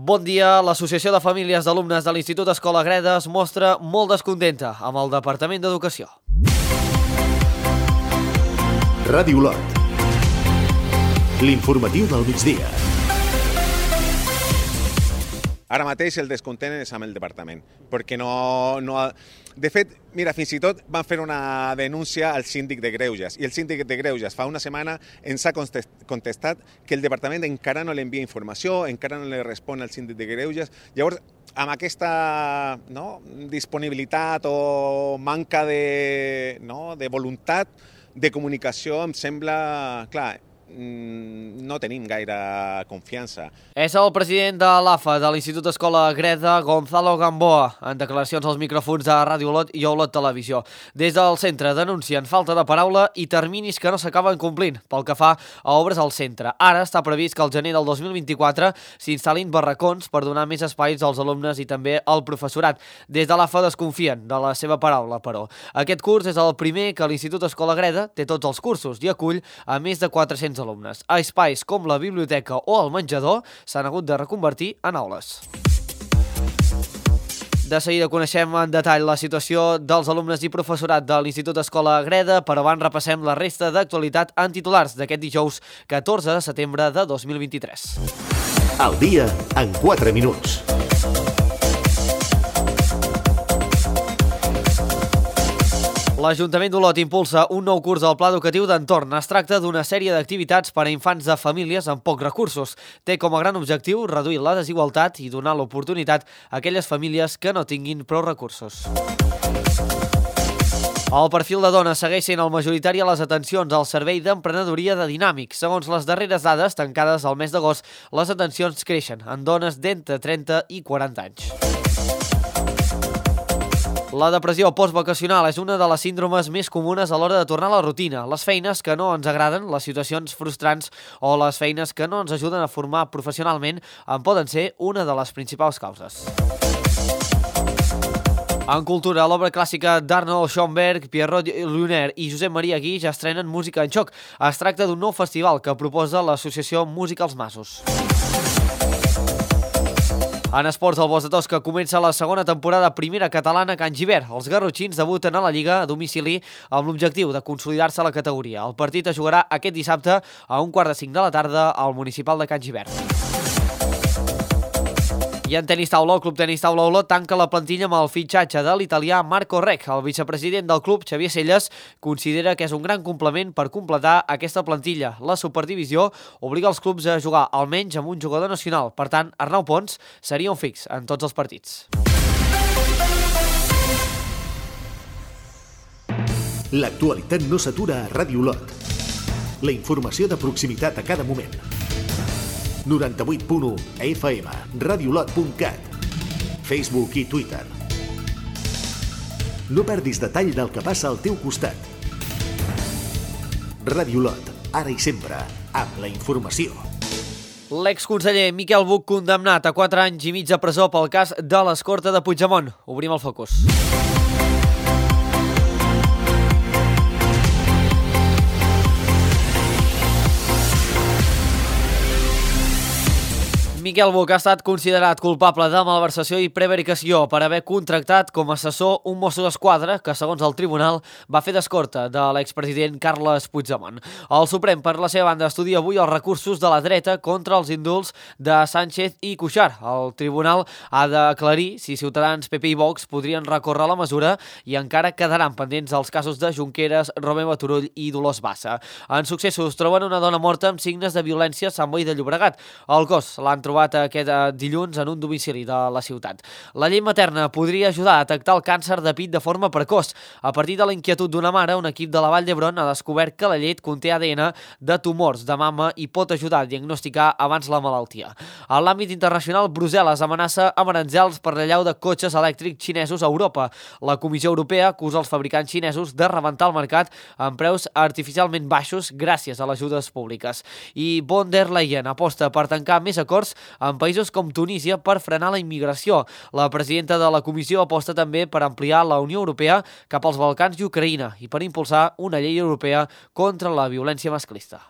Bon dia. L'Associació de Famílies d'Alumnes de l'Institut Escola Greda es mostra molt descontenta amb el Departament d'Educació. Ràdio Lot. L'informatiu del migdia. Ara mateix el descontent és amb el departament, perquè no... De fet, mira, fins i tot van fer una denúncia al síndic de Greuges, i el síndic de Greuges fa una setmana ens ha contestat que el departament encara no li envia informació, encara no li respon al síndic de Greuges. Llavors, amb aquesta disponibilitat o manca de voluntat de comunicació, em sembla, clar, no tenim gaire confiança. És el president de l'AFA de l'Institut Escola Greda, Gonzalo Gamboa, en declaracions als micròfons de Ràdio Lot i Olot Televisió. Des del centre denuncien falta de paraula i terminis que no s'acaben complint pel que fa a obres al centre. Ara està previst que al gener del 2024 s'instal·lin barracons per donar més espais als alumnes i també al professorat. Des de l'AFA desconfien de la seva paraula, però. Aquest curs és el primer que l'Institut Escola Greda té tots els cursos i acull a més de 400 alumnes. Espais com la biblioteca o el menjador s'han hagut de reconvertir en aules. De seguida coneixem en detall la situació dels alumnes i professorat de l'Institut Escola Greda, però abans repassem la resta d'actualitat en titulars d'aquest dijous 14 de setembre de 2023. Al dia en 4 minuts. L'Ajuntament d'Olot impulsa un nou curs al Pla Educatiu d'Entorn. Es tracta d'una sèrie d'activitats per a infants de famílies amb pocs recursos. Té com a gran objectiu reduir la desigualtat i donar l'oportunitat a aquelles famílies que no tinguin prou recursos. El perfil de dones segueix sent el majoritari a les atencions al Servei d'Emprenedoria de Dinàmic. Segons les darreres dades tancades al mes d'agost, les atencions creixen en dones d'entre 30 i 40 anys. La depressió postvacacional és una de les síndromes més comunes a l'hora de tornar a la rutina. Les feines que no ens agraden, les situacions frustrants o les feines que no ens ajuden a formar professionalment en poden ser una de les principals causes. En cultura, l'obra clàssica d'Arnold Schoenberg, Pierrot Lunaire i Josep Maria Guix estrenen Música en Xoc. Es tracta d'un nou festival que proposa l'associació Música als Masos. En esports, el Bosc de Tosca comença la segona temporada primera catalana a Can Gibert. Els garrotxins debuten a la Lliga a domicili amb l'objectiu de consolidar-se a la categoria. El partit es jugarà aquest dissabte a 1:45 de la tarda al municipal de Can Gibert. I en tenis taula, el Club Tenis Taula Olot tanca la plantilla amb el fitxatge de l'italià Marco Rec. El vicepresident del club, Xavier Celles, considera que és un gran complement per completar aquesta plantilla. La superdivisió obliga els clubs a jugar almenys amb un jugador nacional. Per tant, Arnau Pons seria un fix en tots els partits. L'actualitat no s'atura a Ràdio Lot. La informació de proximitat a cada moment. 98.1 FM, radiolot.cat, Facebook i Twitter. No perdis detall del que passa al teu costat. Ràdio Lot, ara i sempre, amb la informació. L'exconseller Miquel Buch condemnat a 4 anys i mig de presó pel cas de l'escorta de Puigdemont. Obrim el focus. Miquel Buch ha estat considerat culpable de malversació i prevaricació per haver contractat com a assessor un mosso d'esquadra que, segons el tribunal, va fer d'escorta de l'expresident Carles Puigdemont. El Suprem, per la seva banda, estudia avui els recursos de la dreta contra els indults de Sánchez i Cuixart. El tribunal ha d'aclarir si Ciutadans, PP i Vox podrien recórrer la mesura i encara quedaran pendents els casos de Junqueras, Romeva Turull i Dolors Bassa. En successos, troben una dona morta amb signes de violència a Sant Boi de Llobregat. El cos l'han trobat aquest dilluns en un domicili de la ciutat. La llei materna podria ajudar a detectar el càncer de pit de forma precoç. A partir de la inquietud d'una mare, un equip de la Vall d'Hebron ha descobert que la llet conté ADN de tumors de mama i pot ajudar a diagnosticar abans la malaltia. En l'àmbit internacional, Brussel·les amenaça amb aranzels per l'allau de cotxes elèctrics xinesos a Europa. La Comissió Europea acusa els fabricants xinesos de rebentar el mercat amb preus artificialment baixos gràcies a les ajudes públiques. I von der Leyen aposta per tancar més acords en països com Tunísia per frenar la immigració. La presidenta de la Comissió aposta també per ampliar la Unió Europea cap als Balcans i Ucraïna i per impulsar una llei europea contra la violència masclista.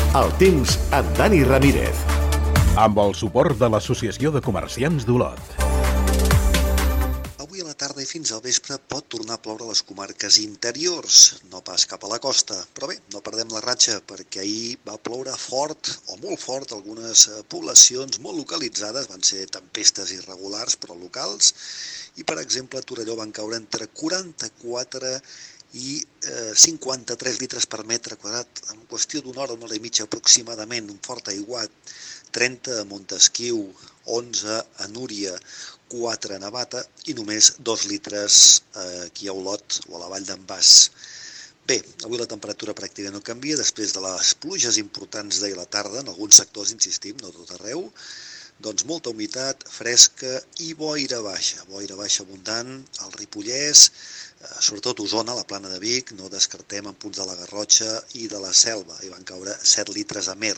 El temps amb Dani Ramírez. Amb el suport de l'Associació de Comerciants d'Olot. Avui a la tarda i fins al vespre pot tornar a ploure a les comarques interiors, no pas cap a la costa. Però bé, no perdem la ratxa perquè ahir va ploure fort o molt fort. Algunes poblacions molt localitzades van ser tempestes irregulars però locals. I per exemple a Torelló van caure entre 44 i 53 litres per metre quadrat en qüestió d'una hora i mitja aproximadament, un fort aiguat. 30 a Montesquiu, 11 a Núria, 4 a Navata i només 2 litres aquí a Olot o a la vall d'en Bas. Bé, avui la temperatura pràcticament no canvia després de les pluges importants d'ahir a la tarda, en alguns sectors, insistim, no tot arreu, doncs molta humitat, fresca i boira baixa abundant al Ripollès, sobretot Osona, la Plana de Vic, no descartem en punts de la Garrotxa i de la Selva, hi van caure 7 litres a Mer,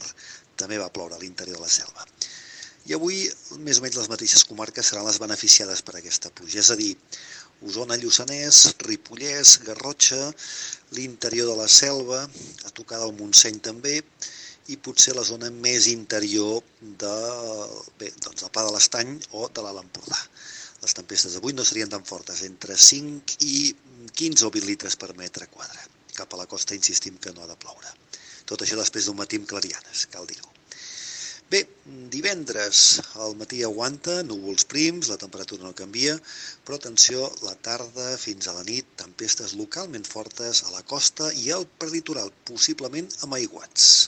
també va ploure a l'interior de la Selva. I avui, més o menys les mateixes comarques seran les beneficiades per aquesta pluja, és a dir, Osona, Lluçanès, Ripollès, Garrotxa, l'interior de la Selva, a tocar del Montseny també, i potser la zona més interior del Pla de l'Estany o de l'Alt Empordà. Les tempestes d'avui no serien tan fortes, entre 5 i 15 o 20 litres per metre quadrat. Cap a la costa insistim que no ha de ploure. Tot això després d'un matí amb clarianes, cal dir-ho. Bé, divendres al matí aguanta, núvols prims, la temperatura no canvia, però atenció, la tarda fins a la nit, tempestes localment fortes a la costa i al prelitoral, possiblement amb aiguats.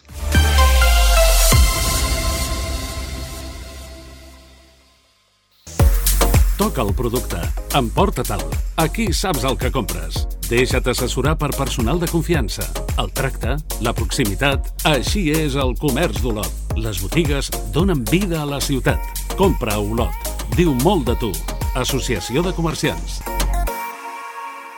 Toca el producte. Emporta-te'l. Aquí saps el que compres. Deixa't assessorar per personal de confiança. El tracte, la proximitat... Així és el comerç d'Olot. Les botigues donen vida a la ciutat. Compra a Olot. Diu molt de tu. Associació de Comerciants.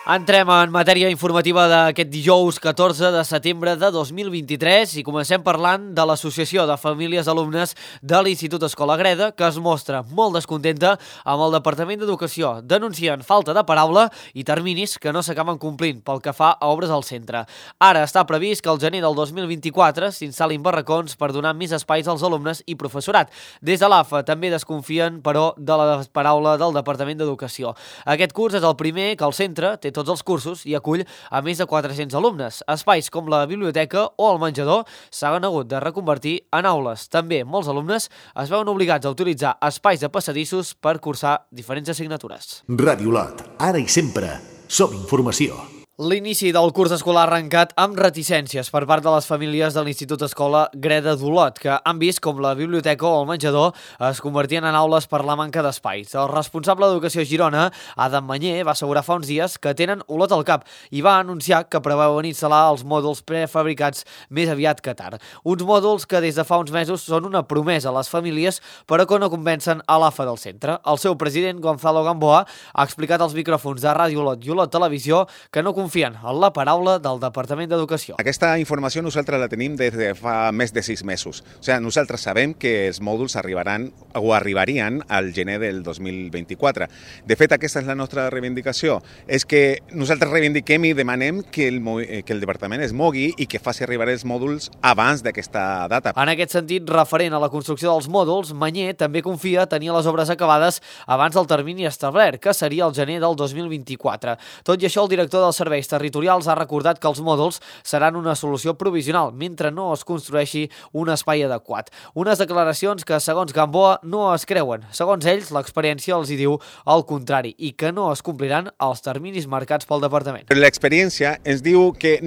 Entrem en matèria informativa d'aquest dijous 14 de setembre de 2023 i comencem parlant de l'Associació de Famílies Alumnes de l'Institut Escola Greda, que es mostra molt descontenta amb el Departament d'Educació. Denuncien falta de paraula i terminis que no s'acaben complint pel que fa a obres al centre. Ara està previst que al gener del 2024 s'instal·lin barracons per donar més espais als alumnes i professorat. Des de l'AFA també desconfien, però, de la paraula del Departament d'Educació. Aquest curs és el primer que el centre té tots els cursos i acull a més de 400 alumnes. Espais com la biblioteca o el menjador s'han hagut de reconvertir en aules. També molts alumnes es veuen obligats a utilitzar espais de passadissos per cursar diferents assignatures. Ràdio Olot, ara i sempre, som informació. L'inici del curs escolar ha arrencat amb reticències per part de les famílies de l'Institut Escola Greda d'Olot, que han vist com la biblioteca o el menjador es convertien en aules per la manca d'espais. El responsable d'Educació a Girona, Adam Manyer, va assegurar fa uns dies que tenen Olot al cap i va anunciar que preveuen instal·lar els mòduls prefabricats més aviat que tard. Uns mòduls que des de fa uns mesos són una promesa a les famílies, però que no convencen a l'AFA del centre. El seu president, Gonzalo Gamboa, ha explicat als micròfons de Ràdio Olot i Olot Televisió que no confien en la paraula del Departament d'Educació. Aquesta informació nosaltres la tenim des de fa més de 6 mesos. O sigui, nosaltres sabem que els mòduls arribarien al gener del 2024. De fet, aquesta és la nostra reivindicació. És que nosaltres reivindiquem i demanem que el Departament es mogui i que faci arribar els mòduls abans d'aquesta data. En aquest sentit, referent a la construcció dels mòduls, Manyer també confia tenir les obres acabades abans del termini establert, que seria el gener del 2024. Tot i això, el director dels serveis territorials ha recordat que els mòduls seran una solució provisional mentre no es construeixi un espai adequat. Unes declaracions que, segons Gamboa, no es creuen. Segons ells, l'experiència els hi diu el contrari i que no es compliran els terminis marcats pel Departament. L'experiència ens diu que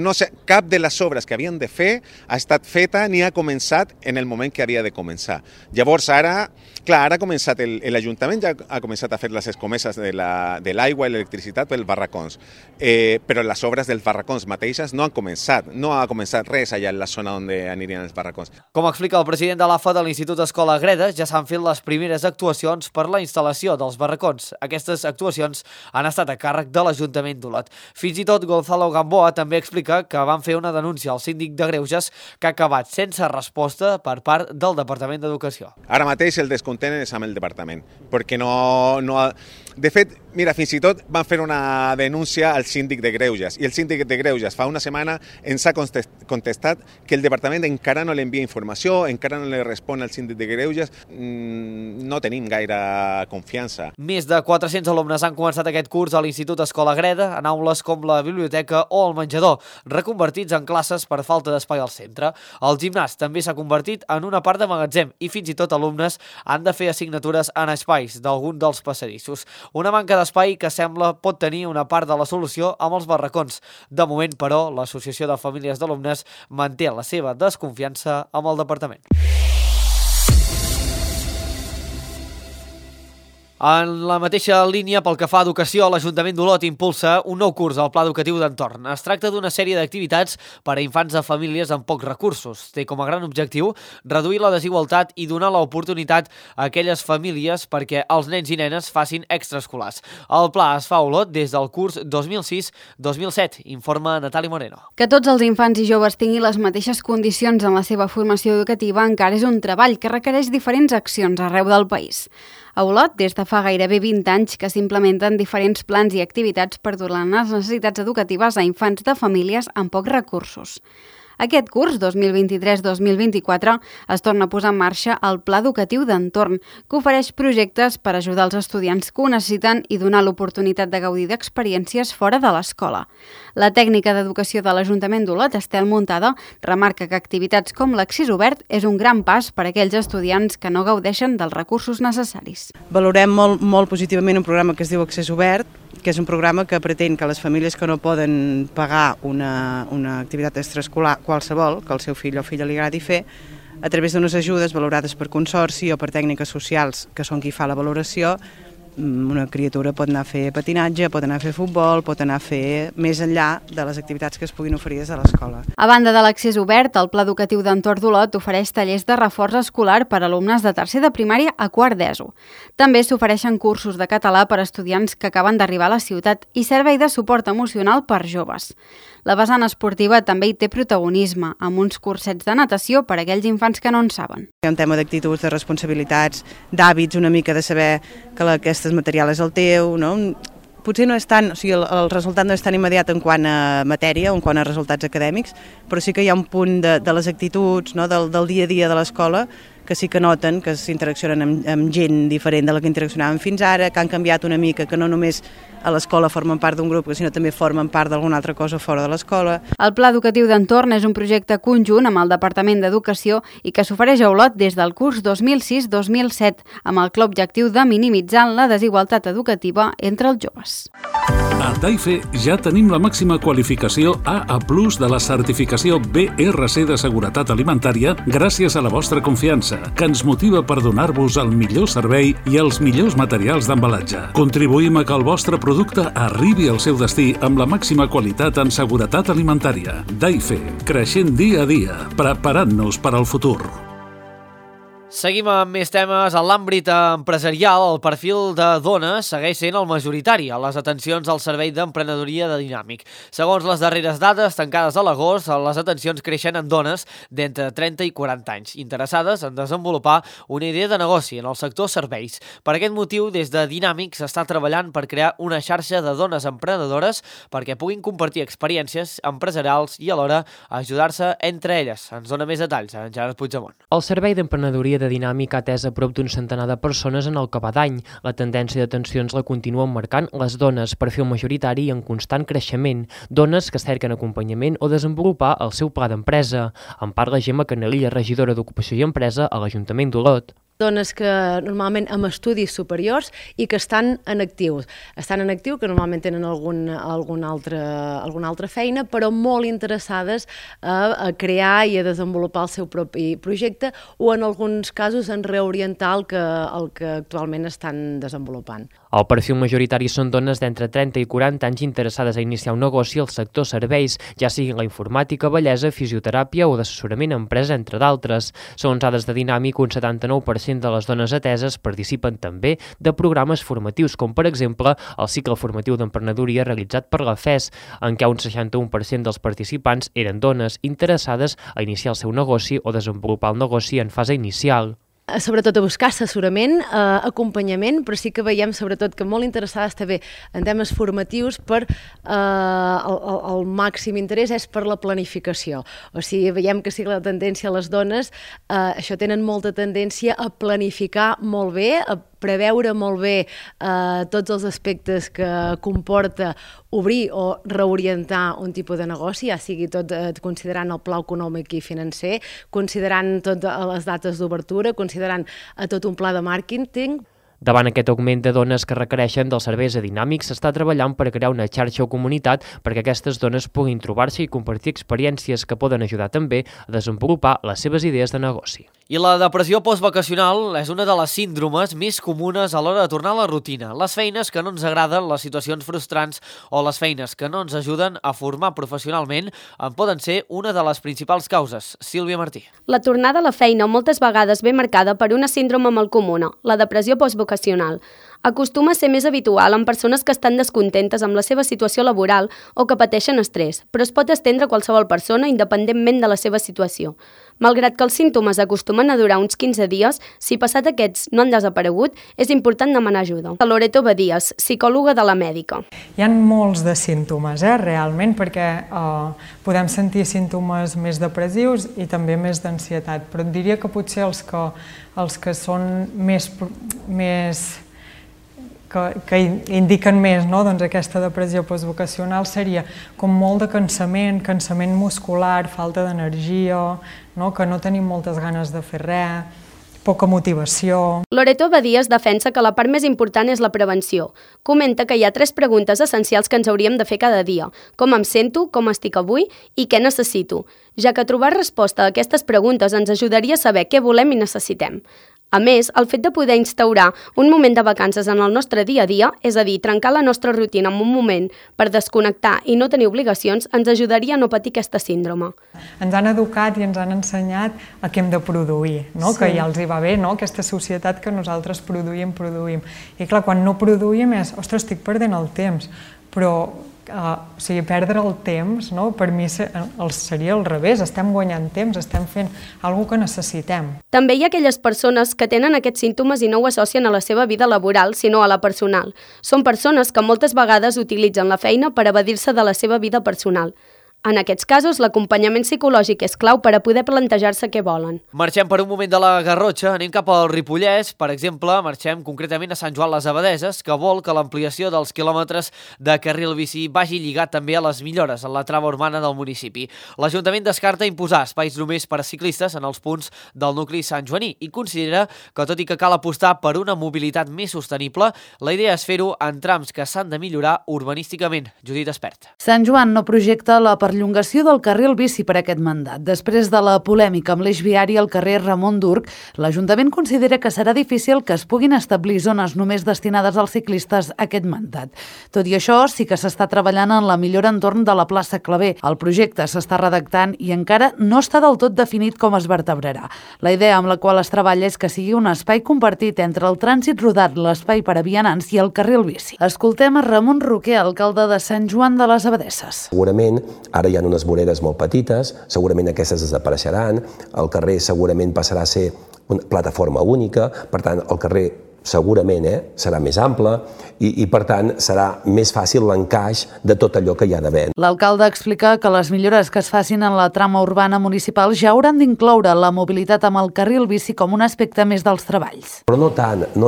cap de les obres que havien de fer ha estat feta ni ha començat en el moment que havia de començar. Llavors, ara ha començat l'Ajuntament, ja ha començat a fer les escomeses de l'aigua i l'electricitat pels barracons, però les obres dels barracons mateixes no han començat. No ha començat res allà en la zona on anirien els barracons. Com explica el president de l'AFA de l'Institut Escola Greda, ja s'han fet les primeres actuacions per la instal·lació dels barracons. Aquestes actuacions han estat a càrrec de l'Ajuntament d'Olot. Fins i tot Gonzalo Gamboa també explica que van fer una denúncia al síndic de Greuges que ha acabat sense resposta per part del Departament d'Educació. Ara mateix el descontent és amb el Departament, perquè no... De fet, Mira, fins i tot van fer una denúncia al síndic de Greuges i el síndic de Greuges fa una setmana ens ha contestat que el departament encara no li envia informació, encara no li respon al síndic de Greuges. No tenim gaire confiança. Més de 400 alumnes han començat aquest curs a l'Institut Escola Greda, en aules com la biblioteca o el menjador, reconvertits en classes per falta d'espai al centre. El gimnàs també s'ha convertit en una part de magatzem i fins i tot alumnes han de fer assignatures en espais d'algun dels passadissos. Una manca d'espai que sembla pot tenir una part de la solució amb els barracons. De moment, però, l'Associació de Famílies d'Alumnes manté la seva desconfiança amb el departament. En la mateixa línia, pel que fa a educació, l'Ajuntament d'Olot impulsa un nou curs al Pla Educatiu d'Entorn. Es tracta d'una sèrie d'activitats per a infants de famílies amb pocs recursos. Té com a gran objectiu reduir la desigualtat i donar l'oportunitat a aquelles famílies perquè els nens i nenes facin extraescolars. El pla es fa a Olot des del curs 2006-2007, informa Natàlia Moreno. Que tots els infants i joves tinguin les mateixes condicions en la seva formació educativa encara és un treball que requereix diferents accions arreu del país. A Olot, des de fa gairebé 20 anys que s'implementen diferents plans i activitats per donar les necessitats educatives a infants de famílies amb pocs recursos. Aquest curs, 2023-2024, es torna a posar en marxa el Pla Educatiu d'Entorn, que ofereix projectes per ajudar els estudiants que ho necessiten i donar l'oportunitat de gaudir d'experiències fora de l'escola. La tècnica d'educació de l'Ajuntament d'Olot, Estel Muntada, remarca que activitats com l'accés obert és un gran pas per a aquells estudiants que no gaudeixen dels recursos necessaris. Valorem molt positivament un programa que es diu Accés Obert, que és un programa que pretén que les famílies que no poden pagar una activitat extraescolar qualsevol, que el seu fill o filla li agradi fer, a través d'unes ajudes valorades per consorci o per tècniques socials, que són qui fa la valoració, una criatura pot anar a fer patinatge, pot anar a fer futbol, pot anar a fer més enllà de les activitats que es puguin oferir des de l'escola. A banda de l'accés obert, el Pla Educatiu d'Entorn d'Olot ofereix tallers de reforç escolar per a alumnes de tercer de primària a quart d'ESO. També s'ofereixen cursos de català per a estudiants que acaben d'arribar a la ciutat i servei de suport emocional per joves. La vessant esportiva també hi té protagonisme, amb uns cursets de natació per a aquells infants que no en saben. Hi ha un tema d'actituds, de responsabilitats, d'hàbits, una mica de saber que aquest material és el teu, no? Potser no és tant, o sigui, el resultat no és tan immediat en quant a matèria o en quant a resultats acadèmics, però sí que hi ha un punt de les actituds, no? del dia a dia de l'escola, que sí que noten que s'interaccionen amb gent diferent de la que interaccionaven fins ara, que han canviat una mica, que no només a l'escola formen part d'un grup, sinó també formen part d'alguna altra cosa fora de l'escola. El Pla Educatiu d'Entorn és un projecte conjunt amb el Departament d'Educació i que s'ofereix a Olot des del curs 2006-2007, amb el clar objectiu de minimitzar la desigualtat educativa entre els joves. A Daife ja tenim la màxima qualificació AA+ de la certificació BRC de Seguretat Alimentària gràcies a la vostra confiança, que ens motiva per donar-vos el millor servei i els millors materials d'embalatge. Contribuïm a que el vostre producte arribi al seu destí amb la màxima qualitat en seguretat alimentària. Daife, creixent dia a dia, preparant-nos per al futur. Seguim amb més temes. En l'àmbit empresarial, el perfil de dones segueix sent el majoritari a les atencions al Servei d'Emprenedoria de Dinàmic. Segons les darreres dades tancades a l'agost, les atencions creixen en dones d'entre 30 i 40 anys, interessades en desenvolupar una idea de negoci en el sector serveis. Per aquest motiu, des de Dinàmic s'està treballant per crear una xarxa de dones emprenedores perquè puguin compartir experiències empresarials i alhora ajudar-se entre elles. Ens dona més detalls en Gerard Puigdemont. El Servei d'Emprenedoria de Dinàmic ha atès a prop d'un centenar de persones en el que va d'any. La tendència d'atencions la continuen marcant les dones, perfil majoritari i en constant creixement. Dones que cerquen acompanyament o desenvolupar el seu pla d'empresa. En parla Gemma Canelilla, regidora d'Ocupació i Empresa a l'Ajuntament d'Olot. Dones que normalment amb estudis superiors i que estan en actiu. Estan en actiu, que normalment tenen alguna altra feina, però molt interessades a crear i a desenvolupar el seu propi projecte o en alguns casos en reorientar el que actualment estan desenvolupant. El perfil majoritari són dones d'entre 30 i 40 anys interessades a iniciar un negoci al sector serveis, ja sigui la informàtica, bellesa, fisioteràpia o d'assessorament a empresa, entre d'altres. Segons dades de Dinàmic, un 79% de les dones ateses participen també de programes formatius, com per exemple el cicle formatiu d'emprenedoria realitzat per la FES, en què un 61% dels participants eren dones interessades a iniciar el seu negoci o desenvolupar el negoci en fase inicial. sobretot a buscar assessorament, acompanyament, però sí que veiem sobretot que molt interessades també en temes formatius per el màxim interès és per la planificació. O sigui, veiem que sí que la tendència a les dones, això tenen molta tendència a planificar molt bé, a preveure molt bé tots els aspectes que comporta obrir o reorientar un tipus de negoci, ja sigui tot considerant el pla econòmic i financer, considerant totes les dates d'obertura, considerant tot un pla de màrqueting. Davant aquest augment de dones que requereixen dels serveis dinàmics, s'està treballant per crear una xarxa o comunitat perquè aquestes dones puguin trobar-se i compartir experiències que poden ajudar també a desenvolupar les seves idees de negoci. I la depressió postvacacional és una de les síndromes més comunes a l'hora de tornar a la rutina. Les feines que no ens agraden, les situacions frustrants o les feines que no ens ajuden a formar professionalment en poden ser una de les principals causes. Sílvia Martí. La tornada a la feina moltes vegades ve marcada per una síndrome molt comuna, la depressió postvacacional. Acostuma a ser més habitual en persones que estan descontentes amb la seva situació laboral o que pateixen estrès, però es pot estendre a qualsevol persona independentment de la seva situació. Malgrat que els símptomes acostumen a durar uns 15 dies, si passat aquests no han desaparegut, és important demanar ajuda. Loreto Badies, psicòloga de la Mèdica. Hi ha molts de símptomes, realment, perquè podem sentir símptomes més depressius i també més d'ansietat, però et diria que potser els que són que indiquen més aquesta depressió postvocacional seria com molt de cansament muscular, falta d'energia, que no tenim moltes ganes de fer res, poca motivació. Loreto Badies defensa que la part més important és la prevenció. Comenta que hi ha 3 preguntes essencials que ens hauríem de fer cada dia. Com em sento, com estic avui i què necessito, ja que trobar resposta a aquestes preguntes ens ajudaria a saber què volem i necessitem. A més, el fet de poder instaurar un moment de vacances en el nostre dia a dia, és a dir, trencar la nostra rutina en un moment per desconnectar i no tenir obligacions, ens ajudaria a no patir aquesta síndrome. Ens han educat i ens han ensenyat a què hem de produir, que ja els hi va bé, aquesta societat que nosaltres produïm. I clar, quan no produïm és, ostres, estic perdent el temps, però perdre el temps, per mi seria al revés, estem guanyant temps, estem fent alguna que necessitem. També hi ha aquelles persones que tenen aquests símptomes i no ho associen a la seva vida laboral, sinó a la personal. Són persones que moltes vegades utilitzen la feina per evadir-se de la seva vida personal. En aquests casos, l'acompanyament psicològic és clau per a poder plantejar-se què volen. Marxem per un moment de la Garrotxa, anem cap al Ripollès. Per exemple, marxem concretament a Sant Joan les Abadeses, que vol que l'ampliació dels quilòmetres de carril bici vagi lligat també a les millores en la trama urbana del municipi. L'Ajuntament descarta imposar espais només per a ciclistes en els punts del nucli santjoaní i considera que, tot i que cal apostar per una mobilitat més sostenible, la idea és fer-ho en trams que s'han de millorar urbanísticament. Judit Espert. Sant Joan no projecta la perllongació del carril bici per aquest mandat. Després de la polèmica amb l'eix viari al carrer Ramon Durc, l'Ajuntament considera que serà difícil que es puguin establir zones només destinades als ciclistes aquest mandat. Tot i això, sí que s'està treballant en la millora entorn de la plaça Claver. El projecte s'està redactant i encara no està del tot definit com es vertebrarà. La idea amb la qual es treballa és que sigui un espai compartit entre el trànsit rodat, l'espai per a vianants i el carril bici. Escoltem a Ramon Roquer, alcalde de Sant Joan de les Abadesses. Segurament ara hi ha unes voreres molt petites, segurament aquestes desapareixeran, el carrer segurament passarà a ser una plataforma única, per tant el carrer segurament serà més ample i per tant serà més fàcil l'encaix de tot allò que hi ha d'haver. L'alcalde explica que les millores que es facin en la trama urbana municipal ja hauran d'incloure la mobilitat amb el carril bici com un aspecte més dels treballs. Però no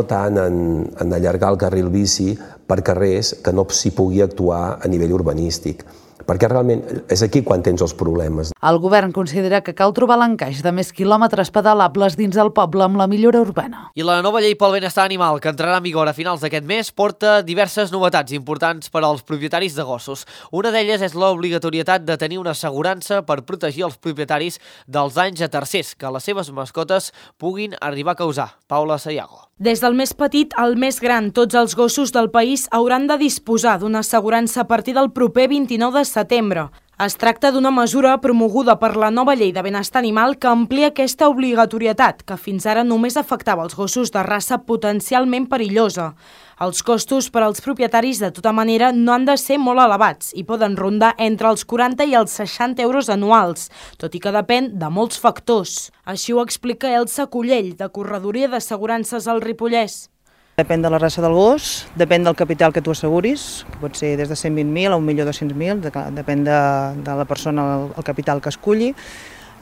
tant en allargar el carril bici per carrers que no s'hi pugui actuar a nivell urbanístic, perquè realment és aquí quan tens els problemes. El govern considera que cal trobar l'encaix de més quilòmetres pedalables dins el poble amb la millora urbana. I la nova llei pel benestar animal, que entrarà en vigor a finals d'aquest mes, porta diverses novetats importants per als propietaris de gossos. Una d'elles és l'obligatorietat de tenir una assegurança per protegir els propietaris dels danys a tercers que les seves mascotes puguin arribar a causar. Paula Sayago. Des del més petit al més gran, tots els gossos del país hauran de disposar d'una assegurança a partir del proper 29 de setembre. Es tracta d'una mesura promoguda per la nova llei de benestar animal que amplia aquesta obligatorietat, que fins ara només afectava els gossos de raça potencialment perillosa. Els costos per als propietaris, de tota manera, no han de ser molt elevats i poden rondar entre els 40 i els 60 euros anuals, tot i que depèn de molts factors. Així ho explica Elsa Collell, de Corredoria d'Assegurances al Ripollès. Depèn de la raça del gos, depèn del capital que tu asseguris, que pot ser des de 120.000 a 1.200.000, depèn de la persona, el capital que esculli.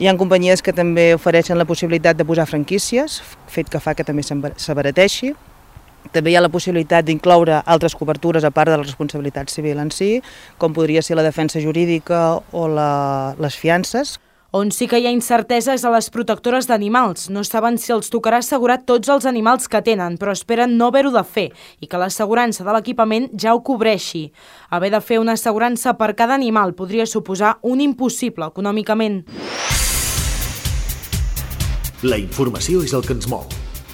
Hi ha companyies que també ofereixen la possibilitat de posar franquícies, fet que fa que també s'abarateixi. També hi ha la possibilitat d'incloure altres cobertures a part de la responsabilitat civil en si, com podria ser la defensa jurídica o les fiances. On sí que hi ha incertesa és a les protectores d'animals. No saben si els tocarà assegurar tots els animals que tenen, però esperen no haver-ho de fer i que l'assegurança de l'equipament ja ho cobreixi. Haver de fer una assegurança per cada animal podria suposar un impossible econòmicament. La informació és el que ens mou.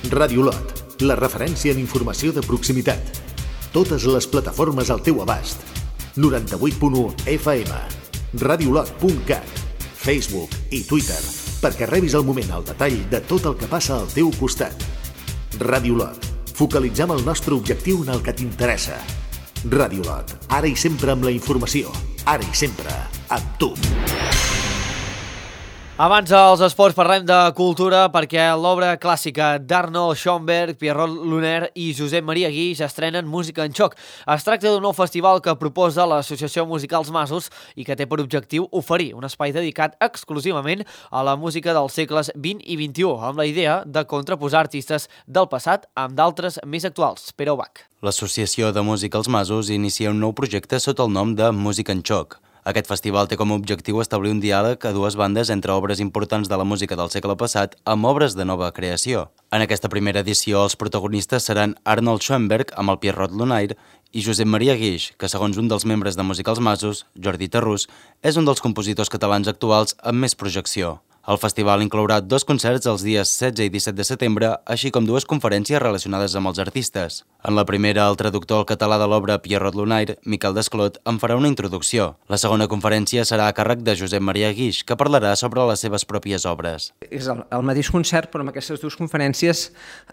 Ràdio Lot, la referència en informació de proximitat. Totes les plataformes al teu abast. 98.1 FM, radiolot.cat, Facebook i Twitter, perquè rebis al moment el detall de tot el que passa al teu costat. Ràdio Lot, focalitzem el nostre objectiu en el que t'interessa. Ràdio Lot, ara i sempre amb la informació, ara i sempre amb tu. Abans dels esports parlem de cultura perquè l'obra clàssica d'Arnold Schoenberg, Pierrot Lunaire i Josep Maria Guix estrenen Música en Xoc. Es tracta d'un nou festival que proposa l'Associació Musicals Masos i que té per objectiu oferir un espai dedicat exclusivament a la música dels segles XX i XXI, amb la idea de contraposar artistes del passat amb d'altres més actuals. Pere Ubach. L'Associació de Musicals Masos inicia un nou projecte sota el nom de Música en Xoc. Aquest festival té com a objectiu establir un diàleg a dues bandes entre obres importants de la música del segle passat amb obres de nova creació. En aquesta primera edició, els protagonistes seran Arnold Schoenberg amb el Pierrot Lunaire i Josep Maria Guix, que segons un dels membres de Musicals Masos, Jordi Tarrús, és un dels compositors catalans actuals amb més projecció. El festival inclourà 2 concerts els dies 16 i 17 de setembre, així com 2 conferències relacionades amb els artistes. En la primera, el traductor al català de l'obra Pierrot Lunaire, Miquel Desclot, en farà una introducció. La segona conferència serà a càrrec de Josep Maria Guix, que parlarà sobre les seves pròpies obres. És el mateix concert, però amb aquestes 2 conferències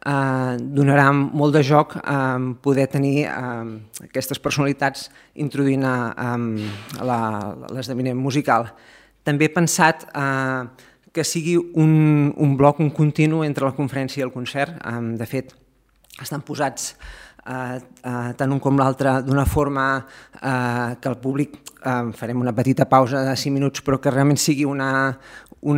donarà molt de joc a poder tenir aquestes personalitats introduint l'esdeveniment musical. També he pensat que sigui un bloc, un continu entre la conferència i el concert. De fet, estan posats tant un com l'altre d'una forma que el públic, farem una petita pausa de 5 minuts, però que realment sigui una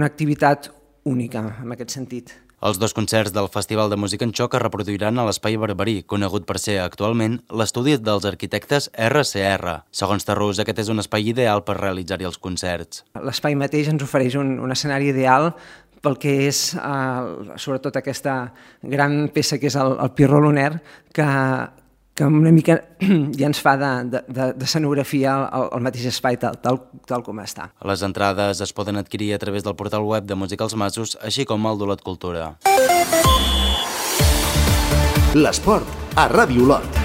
activitat única en aquest sentit. Els 2 concerts del Festival de Música en Xoc es reproduiran a l'Espai Barberí, conegut per ser actualment l'estudi dels arquitectes RCR. Segons Tarrús, aquest és un espai ideal per realitzar-hi els concerts. L'espai mateix ens ofereix un escenari ideal pel que és sobretot aquesta gran peça que és el Pierrot Lunaire, que una mica ja ens fa d'escenografia el mateix espai tal com està. Les entrades es poden adquirir a través del portal web de Musicals Masos, així com el d'Olot Cultura. L'esport a Ràdio Olot.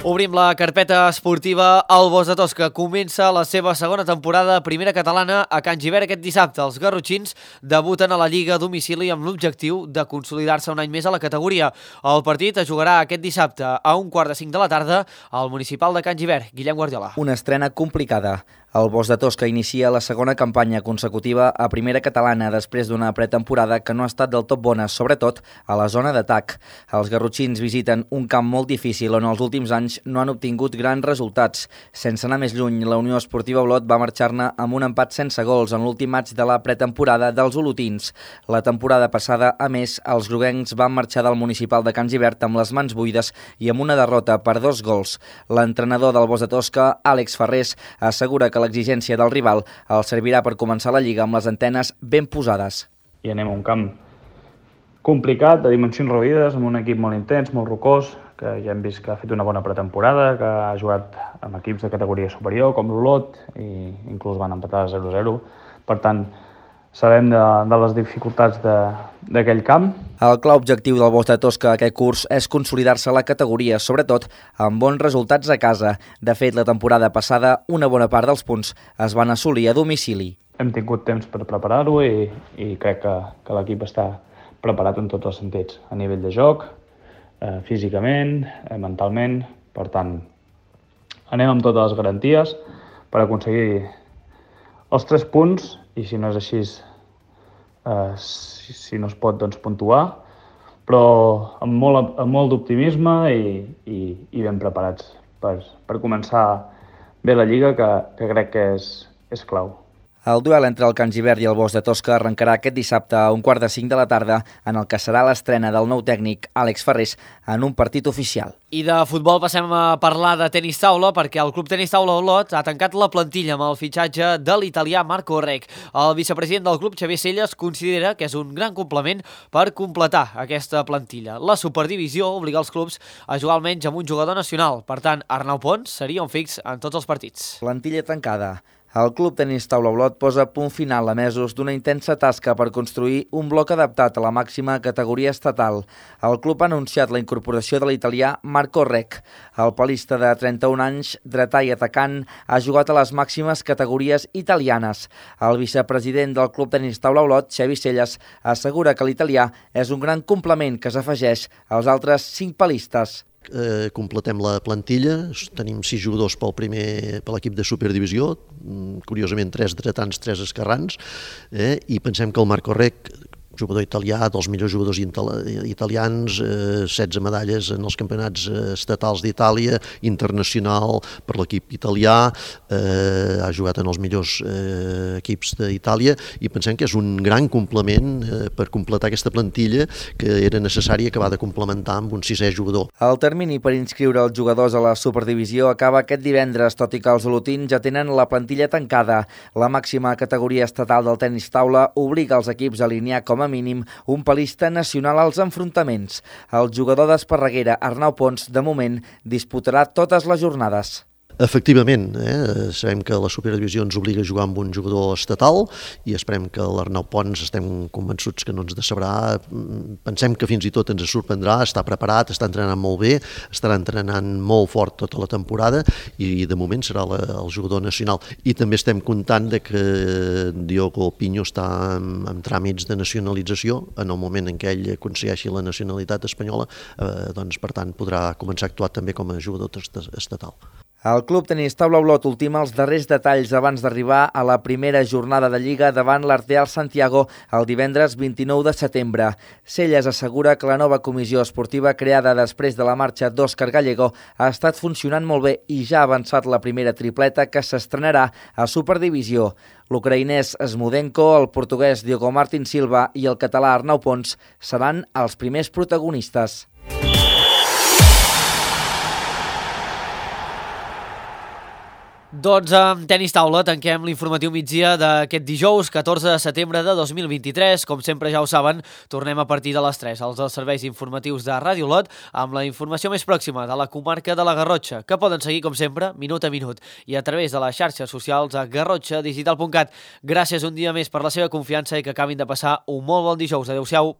Obrim la carpeta esportiva. El Bos de Tosca comença la seva segona temporada a primera catalana a Can Gibert aquest dissabte. Els garrotxins debuten a la Lliga a domicili amb l'objectiu de consolidar-se un any més a la categoria. El partit es jugarà aquest dissabte a 4:45 de la tarda al municipal de Can Gibert. Guillem Guardiola. Una estrena complicada. El Bos de Tosca inicia la segona campanya consecutiva a primera catalana després d'una pretemporada que no ha estat del tot bona, sobretot a la zona d'atac. Els garrotxins visiten un camp molt difícil on els últims anys no han obtingut grans resultats. Sense anar més lluny, la Unió Esportiva Olot va marxar-ne amb un empat sense gols en l'últim maig de la pretemporada dels olotins. La temporada passada, a més, els groguencs van marxar del municipal de Can Gibert amb les mans buides i amb una derrota per 2 gols. L'entrenador del Bos de Tosca, Àlex Ferrés, assegura que l'exigència del rival el servirà per començar la Lliga amb les antenes ben posades. I anem a un camp complicat, de dimensions reduïdes, amb un equip molt intens, molt rocós, que ja hem vist que ha fet una bona pretemporada, que ha jugat amb equips de categoria superior, com l'Olot, i inclús van empatar 0-0. Per tant, sabem de les dificultats d'aquell camp. El clar objectiu del Bosch de Tosca aquest curs és consolidar-se a la categoria, sobretot amb bons resultats a casa. De fet, la temporada passada, una bona part dels punts es van assolir a domicili. Hem tingut temps per preparar-ho i crec que l'equip està preparat en tots els sentits, a nivell de joc, físicament, mentalment. Per tant, anem amb totes les garanties per aconseguir els 3 punts i si no és així, si no es pot, doncs puntuar, però amb molt d'optimisme i ben preparats per començar bé la Lliga, que crec que és clau. El duel entre el Can Gibert i el Bosch de Tosca arrencarà aquest dissabte a 4:45 de la tarda, en el que serà l'estrena del nou tècnic Àlex Ferrés en un partit oficial. I de futbol passem a parlar de tenis taula, perquè el Club Tenis Taula Olot ha tancat la plantilla amb el fitxatge de l'italià Marco Rec. El vicepresident del club, Xavier Celles, considera que és un gran complement per completar aquesta plantilla. La superdivisió obliga els clubs a jugar almenys amb un jugador nacional. Per tant, Arnau Pons seria un fix en tots els partits. Plantilla tancada. El Club Tenis Taula Olot posa punt final a mesos d'una intensa tasca per construir un bloc adaptat a la màxima categoria estatal. El club ha anunciat la incorporació de l'italià Marco Rec. El palista de 31 anys, dretà i atacant, ha jugat a les màximes categories italianes. El vicepresident del Club Tenis Taula Olot, Xavi Celles, assegura que l'italià és un gran complement que s'afegeix als altres 5 palistes. Completem la plantilla, tenim 6 jugadors per l'equip de superdivisió, curiosament 3 dretans, 3 esquerrans, i pensem que el Marco Rec, jugador italià, dels millors jugadors italians, 16 medalles en els campionats estatals d'Itàlia, internacional per l'equip italià, ha jugat en els millors equips d'Itàlia i pensem que és un gran complement per completar aquesta plantilla que era necessari acabar de complementar amb un 6è jugador. El termini per inscriure els jugadors a la superdivisió acaba aquest divendres, tot i que els olotins ja tenen la plantilla tancada. La màxima categoria estatal del tenis taula obliga els equips a alinear com a mínim un palista nacional als enfrontaments. El jugador d'Esparreguera, Arnau Pons, de moment, disputarà totes les jornades. Efectivament, sabem que la superdivisió ens obliga a jugar amb un jugador estatal i esperem que l'Arnau Pons estem convençuts que no ens decebrà. Pensem que fins i tot ens sorprendrà, està preparat, està entrenant molt bé, estarà entrenant molt fort tota la temporada i de moment serà el jugador nacional. I també estem comptant que Diogo Pinho està en tràmits de nacionalització. En el moment en què ell aconsegueixi la nacionalitat espanyola, doncs per tant podrà començar a actuar també com a jugador estatal. El Club Tenis Taula Olot ultima els darrers detalls abans d'arribar a la primera jornada de Lliga davant l'Arteal Santiago el divendres 29 de setembre. Celles assegura que la nova comissió esportiva creada després de la marxa d'Òscar Gallego ha estat funcionant molt bé i ja ha avançat la primera tripleta que s'estrenarà a Superdivisió. L'ucraïnès Smudenko, el portuguès Diogo Martín Silva i el català Arnau Pons seran els primers protagonistes. Doncs amb tenis taula tanquem l'informatiu migdia d'aquest dijous 14 de setembre de 2023. Com sempre ja ho saben, tornem a partir de les 3 als serveis informatius de Ràdio Olot amb la informació més pròxima de la comarca de la Garrotxa, que poden seguir com sempre minut a minut i a través de les xarxes socials a garrotxadigital.cat. Gràcies un dia més per la seva confiança i que acabin de passar un molt bon dijous. Adéu-siau.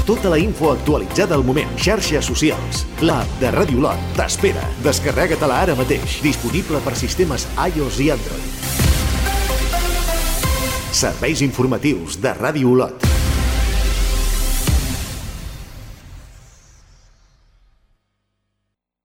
Tota la info actualitzada al moment. Xarxes socials. L'app de Ràdio Olot t'espera. Descarrega-te-la ara mateix. Disponible per sistemes iOS i Android. Serveis informatius de Ràdio Olot.